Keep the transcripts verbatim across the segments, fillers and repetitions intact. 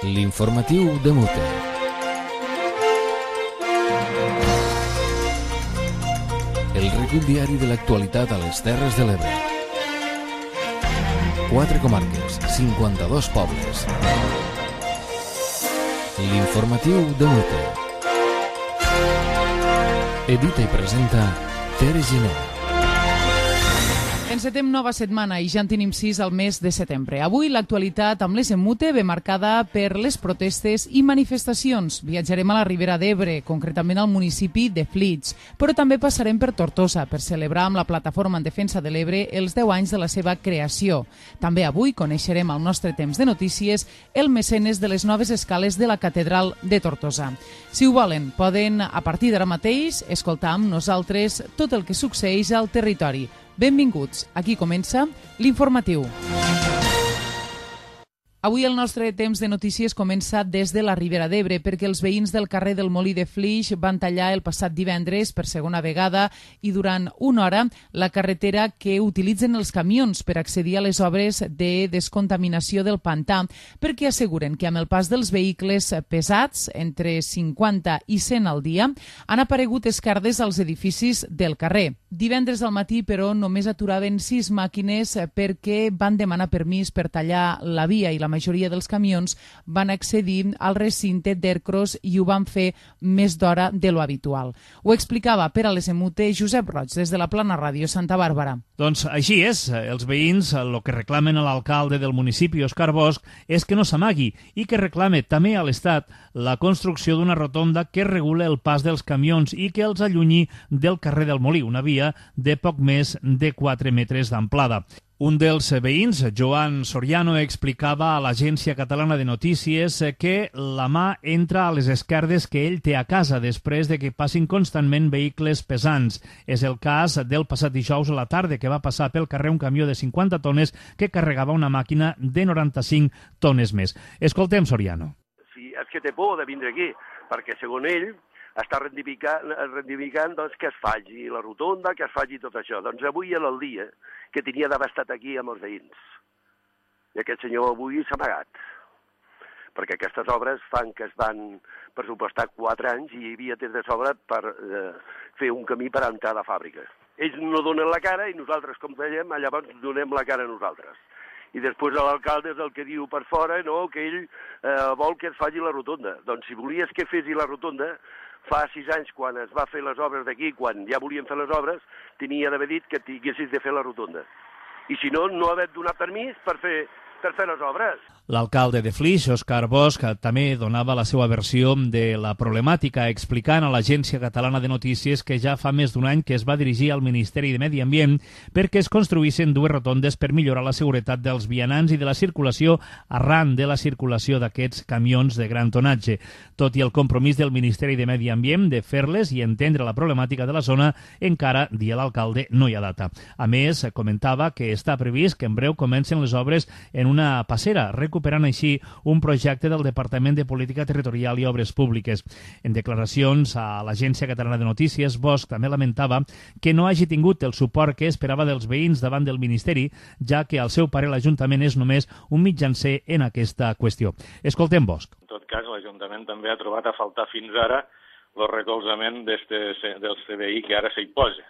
L'informatiu de Mute. El recull diari de l'actualitat a les Terres de l'Ebre. Quatre comarques, cinquanta-dos pobles. L'informatiu de Mute. Edita i presenta Tere Giner. Encetem nova setmana i ja en tenim sis al mes de setembre. Avui l'actualitat amb l'E S Mute ve marcada per les protestes i manifestacions. Viatjarem a la Ribera d'Ebre, concretament al municipi de Flix, però també passarem per Tortosa per celebrar amb la Plataforma en Defensa de l'Ebre els deu anys de la seva creació. També avui coneixerem al nostre temps de notícies el mecenes de les noves escales de la Catedral de Tortosa. Si ho volen, poden, a partir d'ara mateix, escoltar amb nosaltres tot el que succeeix al territori. Benvinguts, aquí comença l'informatiu. Avui el nostre temps de notícies comença des de la Ribera d'Ebre perquè els veïns del carrer del Molí de Flix van tallar el passat divendres per segona vegada i durant una hora la carretera que utilitzen els camions per accedir a les obres de descontaminació del pantà perquè asseguren que amb el pas dels vehicles pesats, entre cinquanta i cent al dia, han aparegut esquerdes als edificis del carrer. Divendres al matí, però, només aturaven sis màquines perquè van demanar permís per tallar la via i la majoria dels camions van accedir al recinte d'Ercros i ho van fer més d'hora de lo habitual. Ho explicava per a l'E S Mute Josep Roig, des de la Plana Ràdio Santa Bàrbara. Doncs així és. Els veïns el que reclamen a l'alcalde del municipi, Òscar Bosch, és que no s'amagui i que reclame també a l'Estat la construcció d'una rotonda que regule el pas dels camions i que els allunyi del carrer del Molí, una via de poc més de quatre metres d'amplada. Un dels veïns, Joan Soriano, explicava a l'Agència Catalana de Notícies que la mà entra a les esquerdes que ell té a casa després de que passin constantment vehicles pesants. És el cas del passat dijous a la tarda, que va passar pel carrer un camió de cinquanta tones que carregava una màquina de noranta-cinc tones més. Escoltem Soriano. Sí, és que té por de vindre aquí, perquè segons ell està reivindicant, reivindicant doncs, que es faci la rotonda, que es faci tot això. Doncs avui era el dia que tenia d'haver estat aquí amb els veïns. I aquest senyor avui s'ha amagat, perquè aquestes obres fan que es van pressupostar quatre anys i hi havia temps de sobre per eh, fer un camí per entrar a la fàbrica. Ells no donen la cara i nosaltres, com dèiem, llavors donem la cara a nosaltres. I després l'alcalde és el que diu per fora, no, que ell eh, vol que es faci la rotonda. Doncs si volies que fessi la rotonda, fa sis anys, quan es va fer les obres d'aquí, quan ja volien fer les obres, tenia d'haver dit que tinguessis de fer la rotonda. I si no, no haver donat permís per fer, per fer les obres. L'alcalde de Flix, Òscar Bosch, també donava la seva versió de la problemàtica, explicant a l'Agència Catalana de Notícies que ja fa més d'un any que es va dirigir al Ministeri de Medi Ambient perquè es construïssin dues rotondes per millorar la seguretat dels vianants i de la circulació arran de la circulació d'aquests camions de gran tonatge. Tot i el compromís del Ministeri de Medi Ambient de fer-les i entendre la problemàtica de la zona, encara, dia l'alcalde, no hi ha data. A més, comentava que està previst que en breu comencen les obres en una passera, recuperant així un projecte del Departament de Política Territorial i Obres Públiques. En declaracions a l'Agència Catalana de Notícies, Bosch també lamentava que no hagi tingut el suport que esperava dels veïns davant del Ministeri, ja que al seu parer l'Ajuntament és només un mitjancer en aquesta qüestió. Escoltem Bosch. En tot cas, l'Ajuntament també ha trobat a faltar fins ara el recolzament del C B I que ara s'hi posa,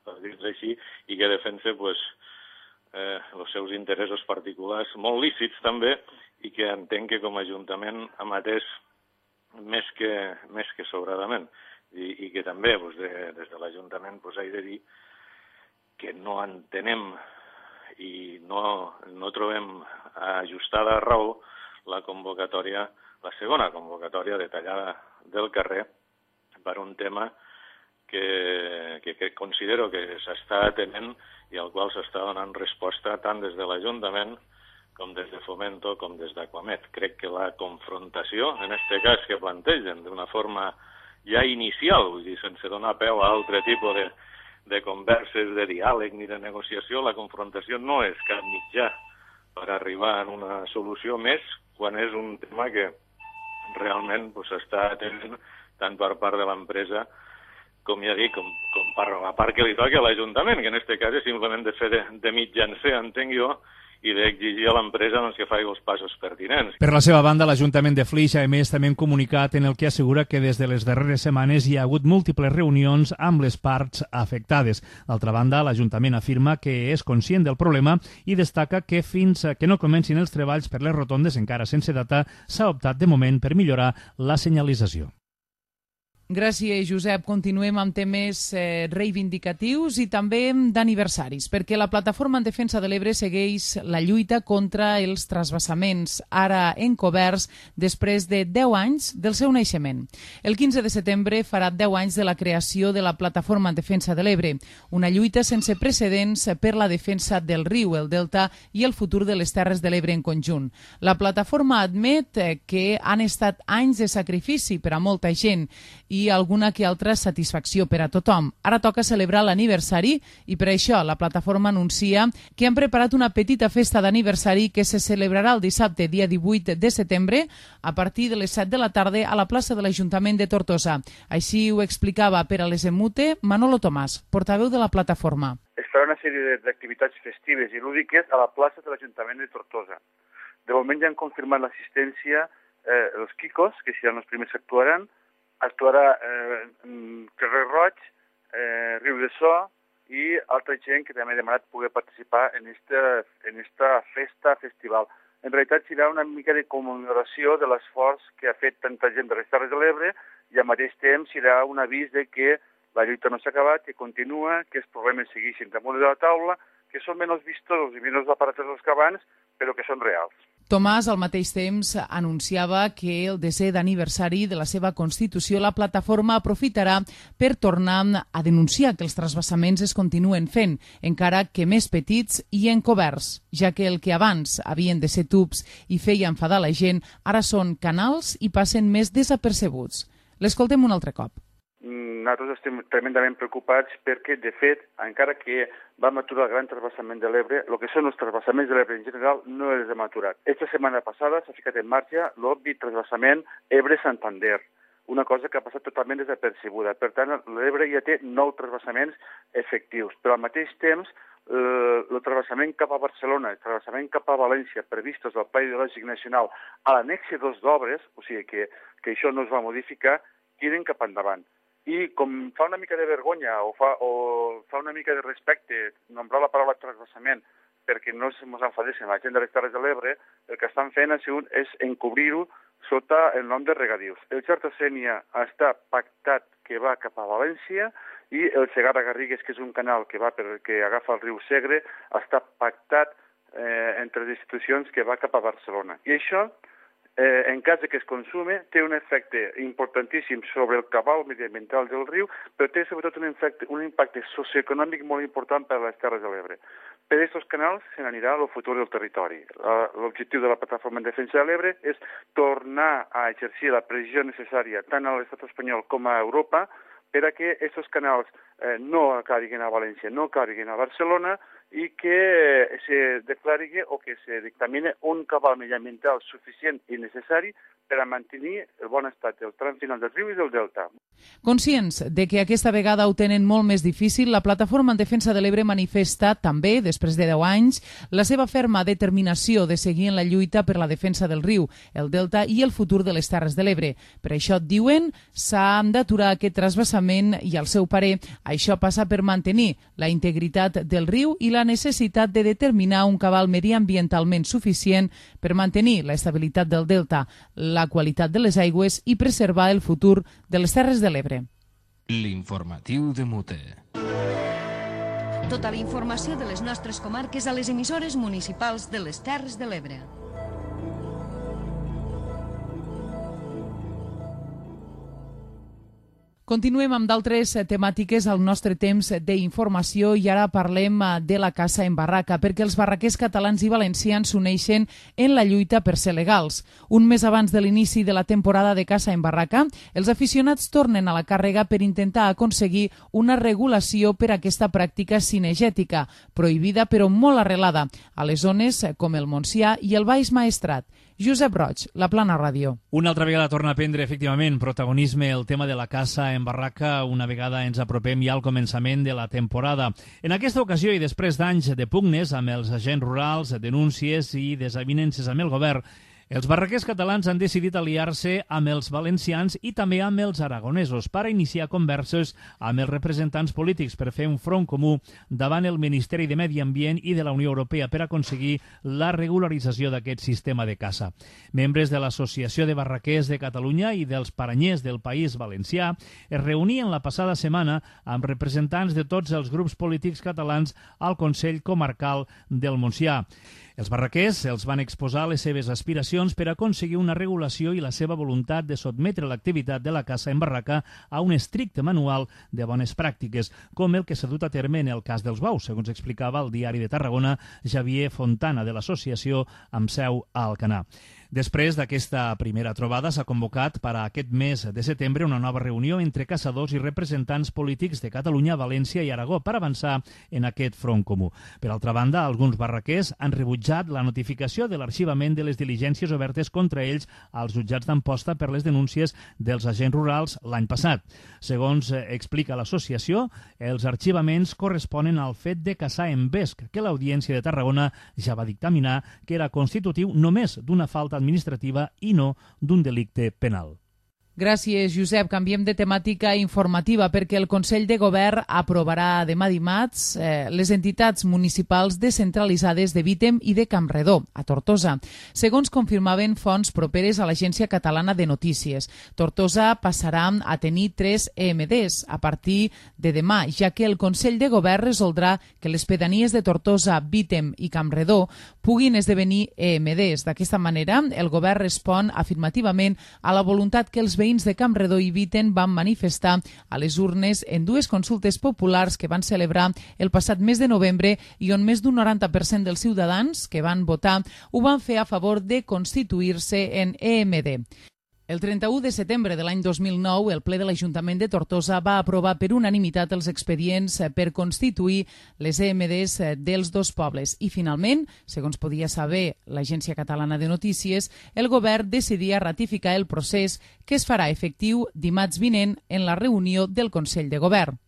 per dir-ho així, i que defensa pues, Eh, els seus interessos particulars, molt lícits també, i que entenc que com a Ajuntament hem atès més que, més que sobradament. I, i que també pues, de, des de l'Ajuntament pues, he de dir que no entenem i no, no trobem ajustada a raó la convocatòria, la segona convocatòria detallada del carrer per un tema que, que, que considero que s'està atenent i al qual s'està donant resposta tant des de l'Ajuntament com des de Fomento com des d'Aquamet. Crec que la confrontació, en aquest cas que plantegen d'una forma ja inicial, vull dir, sense donar peu a altre tipus de, de converses, de diàleg ni de negociació, la confrontació no és cap mitjà per arribar a una solució més quan és un tema que realment s'està pues, atenent tant per part de l'empresa com ja dic, com, com per la part que li toca a l'Ajuntament, que en aquest cas és simplement de fer de, de mitjancer, entenc jo, i d'exigir a l'empresa doncs, que faci els passos pertinents. Per la seva banda, l'Ajuntament de Flix ha emès també un comunicat en el que assegura que des de les darreres setmanes hi ha hagut múltiples reunions amb les parts afectades. D'altra banda, l'Ajuntament afirma que és conscient del problema i destaca que fins que no comencin els treballs per les rotondes encara sense data s'ha optat de moment per millorar la senyalització. Gràcies, Josep. Continuem amb temes eh, reivindicatius i també d'aniversaris, perquè la Plataforma en Defensa de l'Ebre segueix la lluita contra els transvasaments, ara encoberts després de deu anys del seu naixement. El quinze de setembre farà deu anys de la creació de la Plataforma en Defensa de l'Ebre, una lluita sense precedents per la defensa del riu, el delta i el futur de les Terres de l'Ebre en conjunt. La plataforma admet eh, que han estat anys de sacrifici per a molta gent i alguna que altra satisfacció per a tothom. Ara toca celebrar l'aniversari i per això la plataforma anuncia que han preparat una petita festa d'aniversari que se celebrarà el dissabte, dia divuit de setembre, a partir de les set de la tarda a la plaça de l'Ajuntament de Tortosa. Així ho explicava per a les Emute Manolo Tomàs, portaveu de la plataforma. Es farà una sèrie d'activitats festives i lúdiques a la plaça de l'Ajuntament de Tortosa. De moment ja han confirmat l'assistència eh, els Quicos, que seran els primers que actuaran, actuarà eh, Carrer Roig, eh, Riu de So i altra gent que també ha demanat poder participar en esta, en esta festa festival. En realitat serà una mica de commemoració de l'esforç que ha fet tanta gent de les Terres de l'Ebre i al mateix temps serà un avís de que la lluita no s'ha acabat, que continua, que els problemes segueixin damunt de la taula, que són menys vistosos i menys aparatosos que abans, però que són reals. Tomàs, al mateix temps, anunciava que el desè d'aniversari de la seva Constitució la plataforma aprofitarà per tornar a denunciar que els transvasaments es continuen fent, encara que més petits i encoberts, ja que el que abans havien de ser tubs i feia enfadar la gent, ara són canals i passen més desapercebuts. L'escoltem un altre cop. Nosaltres estem tremendament preocupats perquè, de fet, encara que vam aturar el gran transvasament de l'Ebre, el que són els transvasaments de l'Ebre en general no els hem aturat. Esta setmana passada s'ha ficat en marxa l'obvi transvasament Ebre-Santander, una cosa que ha passat totalment desapercebuda. Per tant, l'Ebre ja té nou transvasaments efectius, però al mateix temps eh, el transvasament cap a Barcelona, el transvasament cap a València, previstos al Pla Hidrològic Nacional, a l'annexe dos d'obres, o sigui que, que això no es va modificar, tiren cap endavant. I com fa una mica de vergonya o fa, o fa una mica de respecte nombrar la paraula transvasament perquè no ens enfadessin la gent de les Terres de l'Ebre, el que estan fent és encobrir-ho sota el nom de regadius. El Xerta-Sénia està pactat que va cap a València i el Segarra-Garrigues, que és un canal que va per, que agafa el riu Segre, està pactat eh, entre les institucions que va cap a Barcelona. I això, Eh, en cas de que es consume, té un efecte importantíssim sobre el cabal mediambiental del riu, però té sobretot un, efecte, un impacte socioeconòmic molt important per a les Terres de l'Ebre. Per aquests canals se n'anirà el futur del territori. L'objectiu de la Plataforma en Defensa de l'Ebre és tornar a exercir la pressió necessària tant a l'estat espanyol com a Europa per a que aquests canals eh, no acabin a València, no acabin a Barcelona, i que se declari o que se dictamine un cabal mediambiental suficient i necessari per a mantenir el bon estat del tram final del riu i del delta. Conscients de que aquesta vegada ho tenen molt més difícil, la Plataforma en Defensa de l'Ebre manifesta també, després de deu anys, la seva ferma determinació de seguir en la lluita per la defensa del riu, el delta i el futur de les Terres de l'Ebre. Per això, diuen, s'ha d'aturar aquest transvasament i, al seu parer, això passa per mantenir la integritat del riu i la necessitat de determinar un cabal mediambientalment suficient per mantenir l'estabilitat del delta, la qualitat de les aigües i preservar el futur de les Terres de l'Ebre. L'informatiu de Mute. Tota la informació de les nostres comarques a les emissores municipals de les Terres de l'Ebre. Continuem amb d'altres temàtiques al nostre temps d'informació i ara parlem de la caça en barraca, perquè els barraquers catalans i valencians s'uneixen en la lluita per ser legals. Un mes abans de l'inici de la temporada de caça en barraca, els aficionats tornen a la càrrega per intentar aconseguir una regulació per a aquesta pràctica cinegètica, prohibida però molt arrelada a les zones com el Montsià i el Baix Maestrat. Josep Roig, La Plana Ràdio. Una altra vegada torna a prendre efectivament protagonisme el tema de la caça en en barraca una vegada ens apropem ja al començament de la temporada. En aquesta ocasió i després d'anys de pugnes amb els agents rurals, denúncies i desavinences amb el govern, els barraquers catalans han decidit aliar-se amb els valencians i també amb els aragonesos per a iniciar converses amb els representants polítics per fer un front comú davant el Ministeri de Medi Ambient i de la Unió Europea per aconseguir la regularització d'aquest sistema de caça. Membres de l'Associació de Barraquers de Catalunya i dels Paranyers del País Valencià es reunien la passada setmana amb representants de tots els grups polítics catalans al Consell Comarcal del Montsià. Els barraquers els van exposar les seves aspiracions per aconseguir una regulació i la seva voluntat de sotmetre l'activitat de la caça en barraca a un estricte manual de bones pràctiques, com el que s'ha dut a terme en el cas dels bous, segons explicava el diari de Tarragona Xavier Fontana de l'associació amb seu a Alcanar. Després d'aquesta primera trobada s'ha convocat per a aquest mes de setembre una nova reunió entre caçadors i representants polítics de Catalunya, València i Aragó per avançar en aquest front comú. Per altra banda, alguns barraquers han rebutjat la notificació de l'arxivament de les diligències obertes contra ells als jutjats d'Amposta per les denúncies dels agents rurals l'any passat. Segons explica l'associació, els arxivaments corresponen al fet de caçar en vesc, que l'Audiència de Tarragona ja va dictaminar que era constitutiu només d'una falta administrativa i no d'un delicte penal. Gràcies, Josep. Canviem de temàtica informativa perquè el Consell de Govern aprovarà demà dimarts eh, les entitats municipals descentralitzades de Vítem i de Campredó, a Tortosa. Segons confirmaven fonts properes a l'Agència Catalana de Notícies, Tortosa passarà a tenir tres E M Ds a partir de demà, ja que el Consell de Govern resoldrà que les pedanies de Tortosa, Vítem i Campredó puguin esdevenir E M Ds. D'aquesta manera, el Govern respon afirmativament a la voluntat que els veïns de Campredó i Vítem van manifestar a les urnes en dues consultes populars que van celebrar el passat mes de novembre i on més d'un noranta per cent dels ciutadans que van votar ho van fer a favor de constituir-se en E M D. El trenta-u de setembre de l'any dos mil nou, el ple de l'Ajuntament de Tortosa va aprovar per unanimitat els expedients per constituir les E M Ds dels dos pobles i, finalment, segons podia saber l'Agència Catalana de Notícies, el govern decidia ratificar el procés que es farà efectiu dimarts vinent en la reunió del Consell de Govern.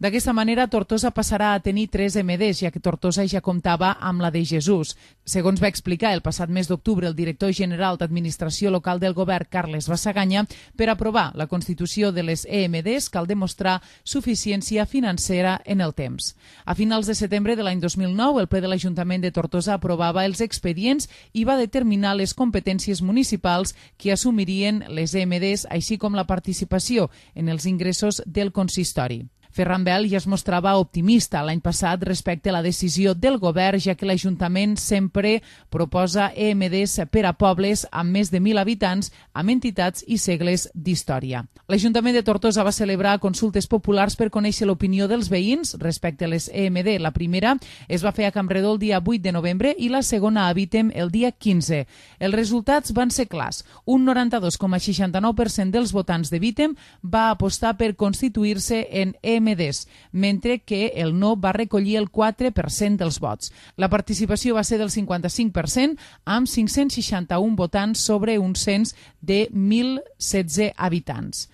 D'aquesta manera, Tortosa passarà a tenir tres E M Ds, ja que Tortosa ja comptava amb la de Jesús. Segons va explicar el passat mes d'octubre el director general d'Administració Local del Govern, Carles Bassaganya, per aprovar la constitució de les E M Ds cal demostrar suficiència financera en el temps. A finals de setembre de l'any dos mil nou, el ple de l'Ajuntament de Tortosa aprovava els expedients i va determinar les competències municipals que assumirien les E M Ds, així com la participació en els ingressos del consistori. Ferran Bel ja es mostrava optimista l'any passat respecte a la decisió del govern, ja que l'Ajuntament sempre proposa E M Ds per a pobles amb més de mil habitants, amb entitats i segles d'història. L'Ajuntament de Tortosa va celebrar consultes populars per conèixer l'opinió dels veïns respecte a les E M D. La primera es va fer a Campredó el dia vuit de novembre i la segona a Vítem el dia quinze. Els resultats van ser clars. Un noranta-dos coma seixanta-nou per cent dels votants de Vítem va apostar per constituir-se en E M Ds, mentre que el no va recollir el quatre per cent dels vots. La participació va ser del cinquanta-cinc per cent, amb cinc-cents seixanta-un votants sobre un cens de mil setze habitants.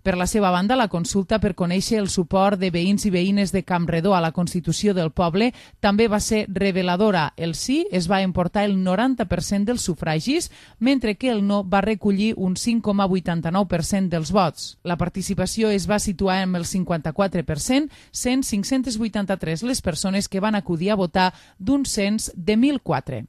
Per la seva banda, la consulta per conèixer el suport de veïns i veïnes de Campredó a la Constitució del poble també va ser reveladora. El sí es va emportar el noranta per cent dels sufragis, mentre que el no va recollir un cinc coma vuitanta-nou per cent dels vots. La participació es va situar amb el cinquanta-quatre per cent, sent cinc-cents vuitanta-tres les persones que van acudir a votar d'un cens de mil quatre.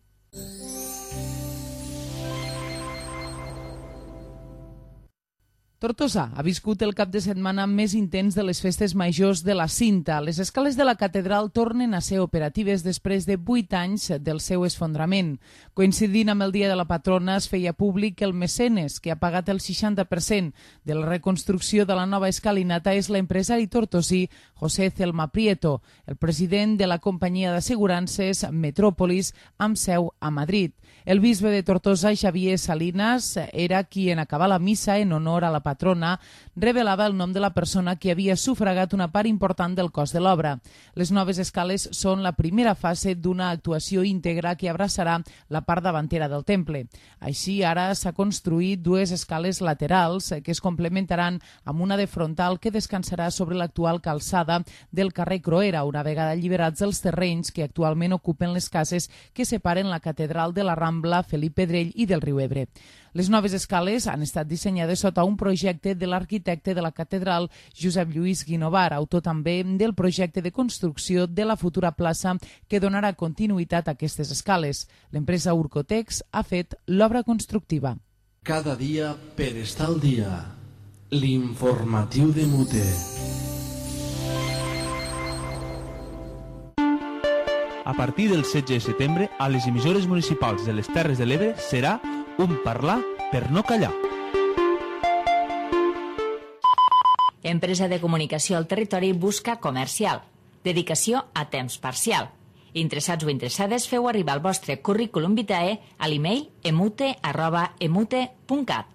Tortosa ha viscut el cap de setmana més intens de les festes majors de la Cinta. Les escales de la catedral tornen a ser operatives després de vuit anys del seu esfondrament. Coincidint amb el dia de la patrona, es feia públic que el mecenes, que ha pagat el seixanta per cent de la reconstrucció de la nova escalinata, és l'empresari tortosí José Celma Prieto, el president de la companyia d'assegurances Metròpolis, amb seu a Madrid. El bisbe de Tortosa, Xavier Salinas, era qui en acabar la missa en honor a la patrona revelava el nom de la persona que havia sufragat una part important del cost de l'obra. Les noves escales són la primera fase d'una actuació íntegra que abraçarà la part davantera del temple. Així, ara s'ha construït dues escales laterals que es complementaran amb una de frontal que descansarà sobre l'actual calçada del carrer Croera, una vegada alliberats els terrenys que actualment ocupen les cases que separen la catedral de la Rambla, Felip Pedrell i del riu Ebre. Les noves escales han estat dissenyades sota un projecte de l'arquitecte de la catedral, Josep Lluís Guinovar, autor també del projecte de construcció de la futura plaça que donarà continuïtat a aquestes escales. L'empresa Urcotex ha fet l'obra constructiva. Cada dia per estar al dia. L'informatiu de Mute. A partir del setze de setembre, a les emissores municipals de les Terres de l'Ebre serà un parlar per no callar. Empresa de comunicació al territori busca comercial. Dedicació a temps parcial. Interessats o interessades, feu arribar el vostre currículum vitae a l'email emute arroba emute punt cat.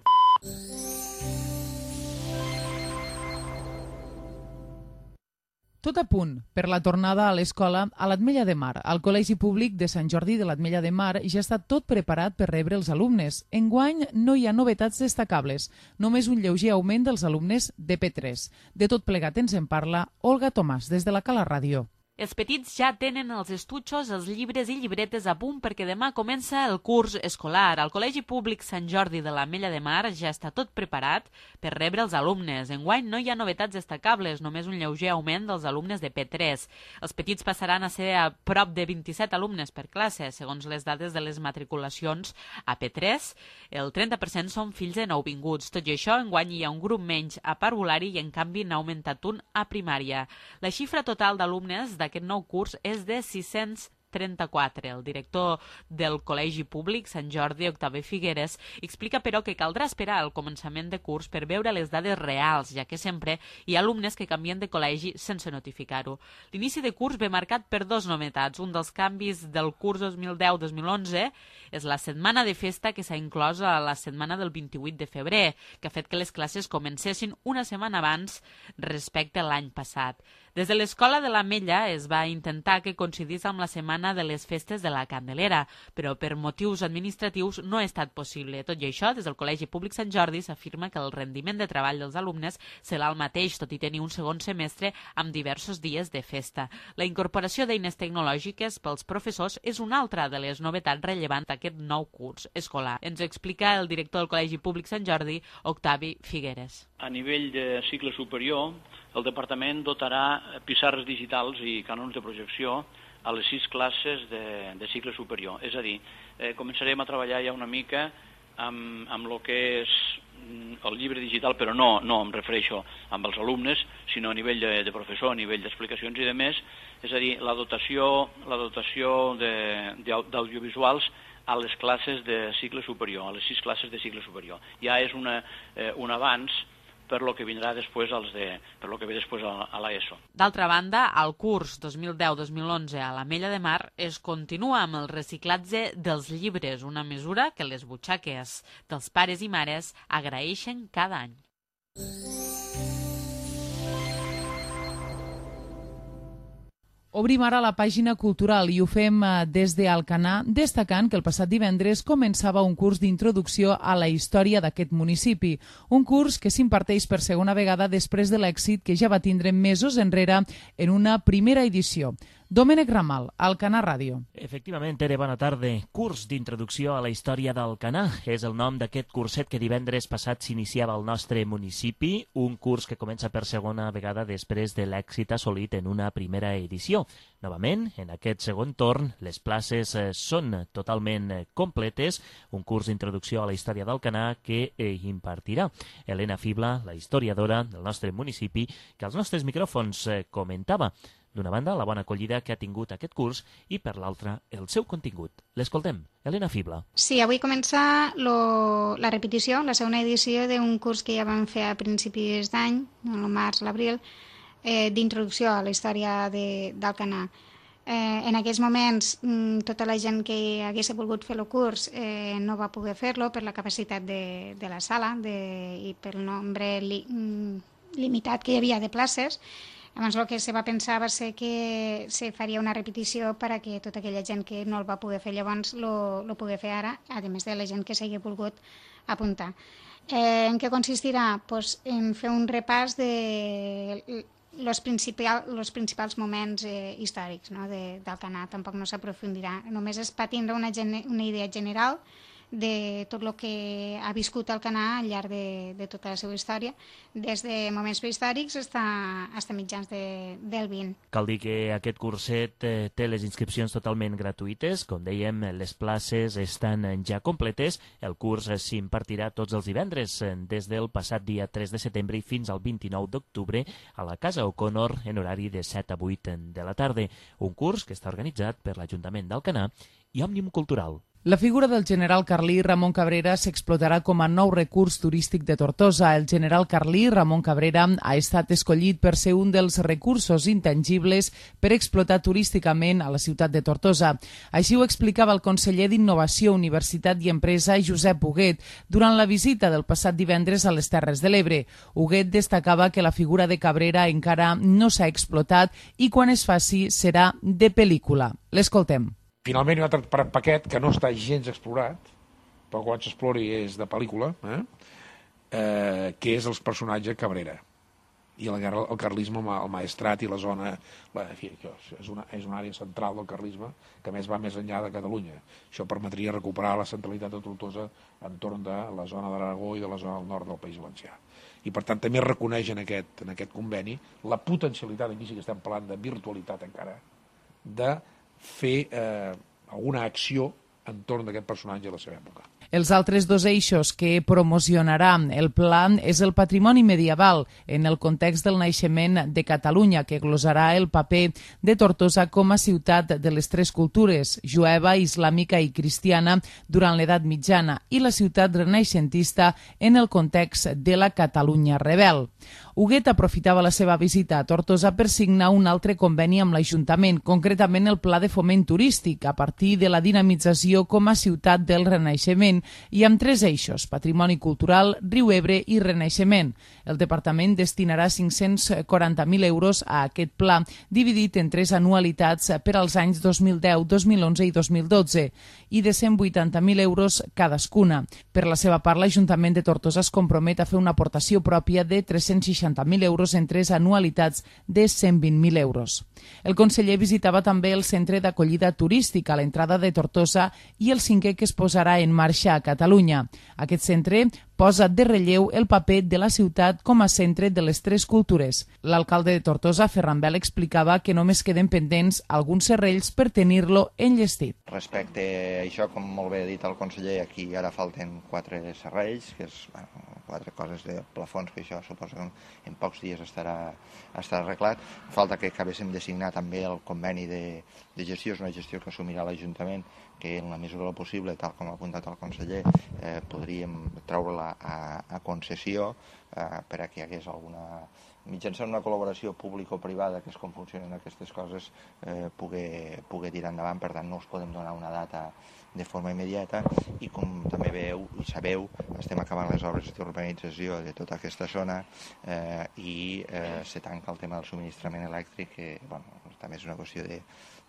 Tot a punt per la tornada a l'escola a l'Ametlla de Mar. Al Col·legi Públic de Sant Jordi de l'Ametlla de Mar ja està tot preparat per rebre els alumnes. Enguany no hi ha novetats destacables, només un lleuger augment dels alumnes de P tres. De tot plegat ens en parla Olga Tomàs, des de la Cala Ràdio. Els petits ja tenen els estutxos, els llibres i llibretes a punt perquè demà comença el curs escolar. Al Col·legi Públic Sant Jordi de l'Ametlla de Mar ja està tot preparat per rebre els alumnes. Enguany no hi ha novetats destacables, només un lleuger augment dels alumnes de P tres. Els petits passaran a ser a prop de vint-i-set alumnes per classe, segons les dades de les matriculacions a P tres. El trenta per cent són fills de nouvinguts. Tot i això, enguany hi ha un grup menys a parvulari i en canvi n'ha augmentat un a primària. La xifra total d'alumnes d'aquest nou curs és de sis-cents trenta-quatre. El director del Col·legi Públic Sant Jordi, Octavi Figueres, explica però que caldrà esperar el començament de curs per veure les dades reals, ja que sempre hi ha alumnes que canvien de col·legi sense notificar-ho. L'inici de curs ve marcat per dos novetats. Un dels canvis del curs dos mil deu dos mil onze és la setmana de festa que s'ha inclòs a la setmana del vint-i-vuit de febrer, que ha fet que les classes comencessin una setmana abans respecte a l'any passat. Des de l'Escola de l'Ametlla es va intentar que coincidís amb la setmana de les festes de la Candelera, però per motius administratius no ha estat possible. Tot i això, des del Col·legi Públic Sant Jordi s'afirma que el rendiment de treball dels alumnes serà el mateix, tot i tenir un segon semestre amb diversos dies de festa. La incorporació d'eines tecnològiques pels professors és una altra de les novetats rellevants d'aquest nou curs escolar. Ens explica el director del Col·legi Públic Sant Jordi, Octavi Figueres. A nivell de cicle superior, el departament dotarà pissarres digitals i cànons de projecció a les sis classes de, de cicle superior. És a dir, eh, començarem a treballar ja una mica amb, amb el que és el llibre digital, però no, no em refereixo amb els alumnes, sinó a nivell de, de professor, a nivell d'explicacions i de més, és a dir, la dotació, la dotació d'audiovisuals a les classes de cicle superior, a les sis classes de cicle superior. Ja és una, eh, un avanç per lo que vindrà després als de, per lo que ve després a, a l'ESO. D'altra banda, al curs dos mil deu dos mil onze a l'Ametlla de Mar es continua amb el reciclatge dels llibres, una mesura que les butxaques dels pares i mares agraeixen cada any. Obrim ara la pàgina cultural i ho fem des d'Alcanar, destacant que el passat divendres començava un curs d'introducció a la història d'aquest municipi. Un curs que s'imparteix per segona vegada després de l'èxit que ja va tindre mesos enrere en una primera edició. Domènec Ramal, Alcanar Ràdio. Efectivament, Tere, bona tarda. Curs d'introducció a la història d'Alcanar és el nom d'aquest curset que divendres passat s'iniciava al nostre municipi, un curs que comença per segona vegada després de l'èxit assolit en una primera edició. Novament, en aquest segon torn, les places són totalment completes, un curs d'introducció a la història d'Alcanar que impartirà Helena Fibla, la historiadora del nostre municipi, que als nostres micròfons comentava. D'una banda, la bona acollida que ha tingut aquest curs i, per l'altra, el seu contingut. L'escoltem. Helena Fibla. Sí, avui comença lo, la repetició, la segona edició d'un curs que ja vam fer a principis d'any, el març, l'abril, eh, d'introducció a la història d'Alcanar. Eh, en aquells moments tota la gent que hagués volgut fer el curs eh, no va poder fer-lo per la capacitat de, de la sala de, i pel nombre li, limitat que hi havia de places. Llavors el que se va pensar va ser que se faria una repetició per a que tota aquella gent que no el va poder fer llavors lo pugui fer ara, a més de la gent que s'hagi volgut apuntar. Eh, en què consistirà? Pues en fer un repàs de els principal, principals moments eh, històrics, no? de, del Canà. Tampoc no s'aprofundirà, només és per tindre una, una idea general de tot el que ha viscut el Canà al llarg de, de tota la seva història, des de moments prehistòrics fins a mitjans de, del vint. Cal dir que aquest curset eh, té les inscripcions totalment gratuïtes. Com dèiem, les places estan ja completes. El curs s'impartirà tots els divendres, des del passat dia tres de setembre i fins al vint-i-nou d'octubre a la Casa O'Connor en horari de set a vuit de la tarda. Un curs que està organitzat per l'Ajuntament d'Alcanar i Òmnium Cultural. La figura del general carlí Ramon Cabrera s'explotarà com a nou recurs turístic de Tortosa. El general carlí Ramon Cabrera ha estat escollit per ser un dels recursos intangibles per explotar turísticament a la ciutat de Tortosa. Així ho explicava el conseller d'Innovació, Universitat i Empresa, Josep Huguet, durant la visita del passat divendres a les Terres de l'Ebre. Huguet destacava que la figura de Cabrera encara no s'ha explotat i quan es faci serà de pel·lícula. L'escoltem. Finalment hi ha un altre paquet que no està gens explorat, però quan s'explori és de pel·lícula, eh? Eh, que és el personatge Cabrera. I el, el carlisme, el maestrat i la zona... La, en fi, és, una, és una àrea central del carlisme que més va més enllà de Catalunya. Això permetria recuperar la centralitat de Tortosa entorn de la zona de l'Aragó i de la zona del nord del País Valencià. I per tant també reconeix en aquest, en aquest conveni la potencialitat, aquí sí que estem parlant de virtualitat encara, de fer eh, alguna acció entorn d'aquest personatge a la seva època. Els altres dos eixos que promocionarà el pla és el patrimoni medieval en el context del naixement de Catalunya, que glosarà el paper de Tortosa com a ciutat de les tres cultures, jueva, islàmica i cristiana, durant l'edat mitjana, i la ciutat renaixentista en el context de la Catalunya rebel. Huguet aprofitava la seva visita a Tortosa per signar un altre conveni amb l'Ajuntament, concretament el Pla de Foment Turístic, a partir de la dinamització com a ciutat del Renaixement, i amb tres eixos: patrimoni cultural, riu Ebre i renaixement. El departament destinarà cinc-cents quaranta mil euros a aquest pla, dividit en tres anualitats per als anys dos mil deu, dos mil onze i dos mil dotze, i de cent vuitanta mil euros cadascuna. Per la seva part, l'Ajuntament de Tortosa es compromet a fer una aportació pròpia de tres-cents seixanta mil euros en tres anualitats de cent vint mil euros. El conseller visitava també el centre d'acollida turística a l'entrada de Tortosa i el cinquè que es posarà en marxa a Catalunya. Aquest centre posa de relleu el paper de la ciutat com a centre de les tres cultures. L'alcalde de Tortosa, Ferran Bel, explicava que només queden pendents alguns serrells per tenir-lo enllestit. Respecte a això, com molt bé ha dit el conseller, aquí ara falten quatre serrells, que és bueno, quatre coses de plafons, que això suposo que en pocs dies estarà, estarà arreglat. Falta que acabéssim de signar també el conveni de, de gestió, és una gestió que assumirà l'Ajuntament, que en la mesura del possible, tal com ha apuntat el conseller, eh, podríem treure-la a, a concessió eh, per a que hi hagués alguna... mitjançant una col·laboració público-privada, que és com funcionen aquestes coses, eh, poder, poder tirar endavant. Per tant, no us podem donar una data de forma immediata i, com també veieu i sabeu, estem acabant les obres d'urbanització de tota aquesta zona eh, i eh, se tanca el tema del subministrament elèctric, que bueno, també és una qüestió de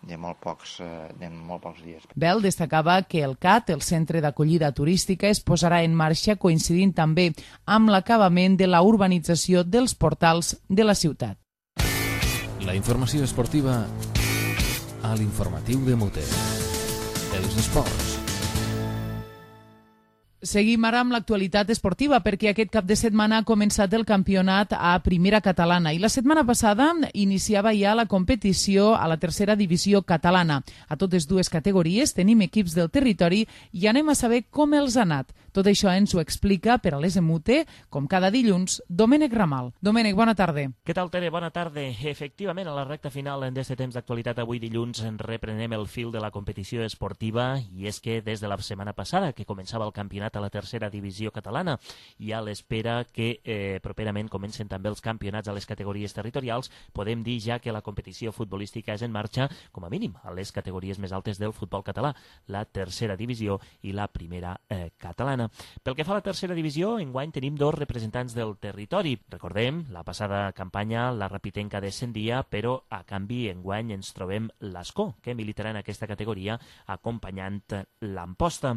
de molt pocs, de molt pocs dies. Bel destacava que el C A T, el Centre d'Acollida Turística, es posarà en marxa coincidint també amb l'acabament de la urbanització dels portals de la ciutat. La informació esportiva a l'informatiu de Mute. Els esports. Seguim ara amb l'actualitat esportiva, perquè aquest cap de setmana ha començat el campionat a Primera Catalana i la setmana passada iniciava ja la competició a la tercera divisió catalana. A totes dues categories tenim equips del territori i anem a saber com els ha anat. Tot això ens ho explica per a l'S M U T, com cada dilluns, Domènec Ramal. Domènec, bona tarda. Què tal, Tere? Bona tarda. Efectivament, a la recta final d'aquest temps d'actualitat avui dilluns reprenem el fil de la competició esportiva i és que des de la setmana passada que començava el campionat a la tercera divisió catalana i a l'espera que eh, properament comencen també els campionats a les categories territorials, podem dir ja que la competició futbolística és en marxa, com a mínim, a les categories més altes del futbol català, la tercera divisió i la primera eh, catalana. Pel que fa a la tercera divisió, enguany tenim dos representants del territori. Recordem, la passada campanya la Rapitenca descendia, però a canvi enguany ens trobem l'Ascó, que militarà en aquesta categoria acompanyant l'Amposta.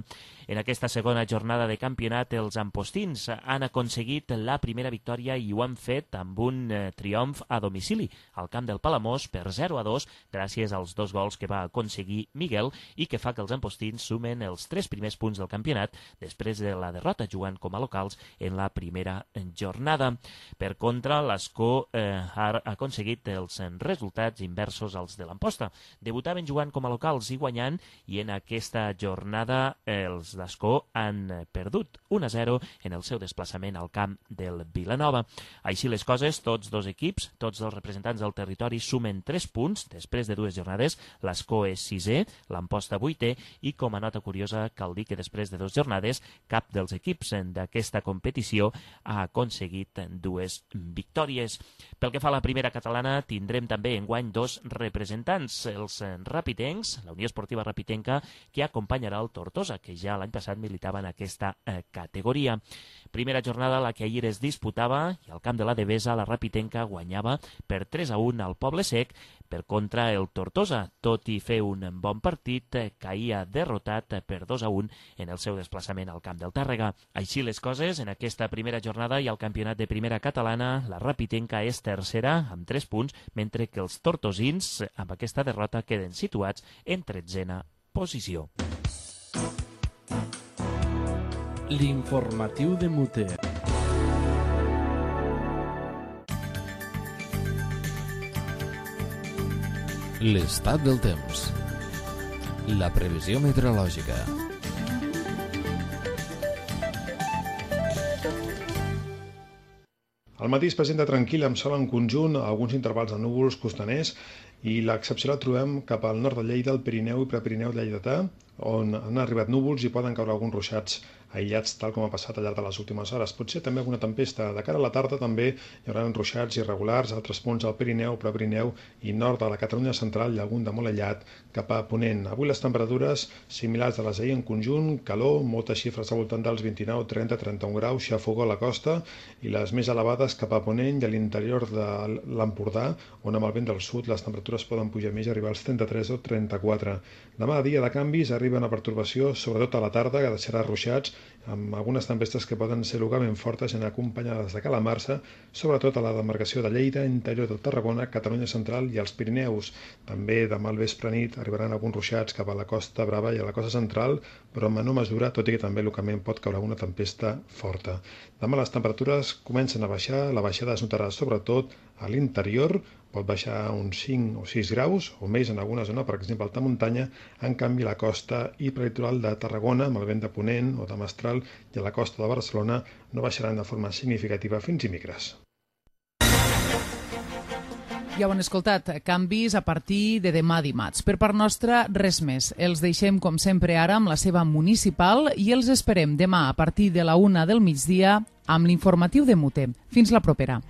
En aquesta segona jornada de campionat, els ampostins han aconseguit la primera victòria i ho han fet amb un eh, triomf a domicili al camp del Palamós per zero a dos gràcies als dos gols que va aconseguir Miguel i que fa que els ampostins sumen els tres primers punts del campionat després de la derrota jugant com a locals en la primera jornada. Per contra, l'Ascó eh, ha aconseguit els resultats inversos als de l'Amposta. Debutaven jugant com a locals i guanyant i en aquesta jornada eh, els d'Ascó han perdut un a zero en el seu desplaçament al camp del Vilanova. Així les coses, tots dos equips, tots els representants del territori sumen tres punts després de dues jornades. L'Ascó és sisè, l'Amposta vuitè i com a nota curiosa cal dir que després de dues jornades cap dels equips d'aquesta competició ha aconseguit dues victòries. Pel que fa a la primera catalana tindrem també enguany dos representants, els rapitencs, la Unió Esportiva Rapitenca, que acompanyarà el Tortosa, que ja l'any passat militava en aquesta eh, categoria. Primera jornada la que ahir es disputava i al camp de la Devesa la Rapitenca guanyava per tres a un al Poble Sec. Per contra, el Tortosa, tot i fer un bon partit, caïa derrotat per dos a un en el seu desplaçament al camp del Tàrrega. Així les coses, en aquesta primera jornada i al campionat de primera catalana, la Rapitenca és tercera amb tres punts, mentre que els tortosins, amb aquesta derrota, queden situats en tretzena posició. L'informatiu de Muter. L'estat del temps. La previsió meteorològica. El matí es presenta tranquil amb sol en conjunt, alguns intervals de núvols costaners i l'excepció la trobem cap al nord de Lleida, el Pirineu i Prepirineu lleidatà, on han arribat núvols i poden caure alguns ruixats aïllats, tal com ha passat al llarg de les últimes hores. Potser també alguna tempesta. De cara a la tarda també hi haurà ruixats irregulars a altres punts al Pirineu, Prepirineu i nord de la Catalunya central i algun de molt aïllat cap a ponent. Avui les temperatures similars a les d'ahir en conjunt, calor, moltes xifres al voltant dels vint-i-nou, trenta, trenta-un graus, xafogó a la costa i les més elevades cap a ponent i a l'interior de l'Empordà, on amb el vent del sud les temperatures poden pujar més i arribar als trenta-tres o trenta-quatre. Demà, dia de canvis, arriba una pertorbació, sobretot a la tarda, que deixarà ruixats, amb algunes tempestes que poden ser localment fortes en acompanyades de calamarsa, sobretot a la demarcació de Lleida, interior de Tarragona, Catalunya central i els Pirineus. També demà al vespre nit arribaran alguns ruixats cap a la Costa Brava i a la costa central, però en menor mesura, tot i que també localment pot caure alguna tempesta forta. Demà les temperatures comencen a baixar, la baixada es notarà sobretot a l'interior, pot baixar uns cinc o sis graus o més en alguna zona, per exemple, alta muntanya. En canvi, la costa i prelitoral de Tarragona, amb el vent de ponent o de mestral, i a la costa de Barcelona no baixaran de forma significativa fins i micres. Ja ho han escoltat, canvis a partir de demà dimarts. Per part nostra, res més. Els deixem, com sempre, ara amb la seva municipal i els esperem demà a partir de la una del migdia amb l'informatiu de Muter. Fins la propera.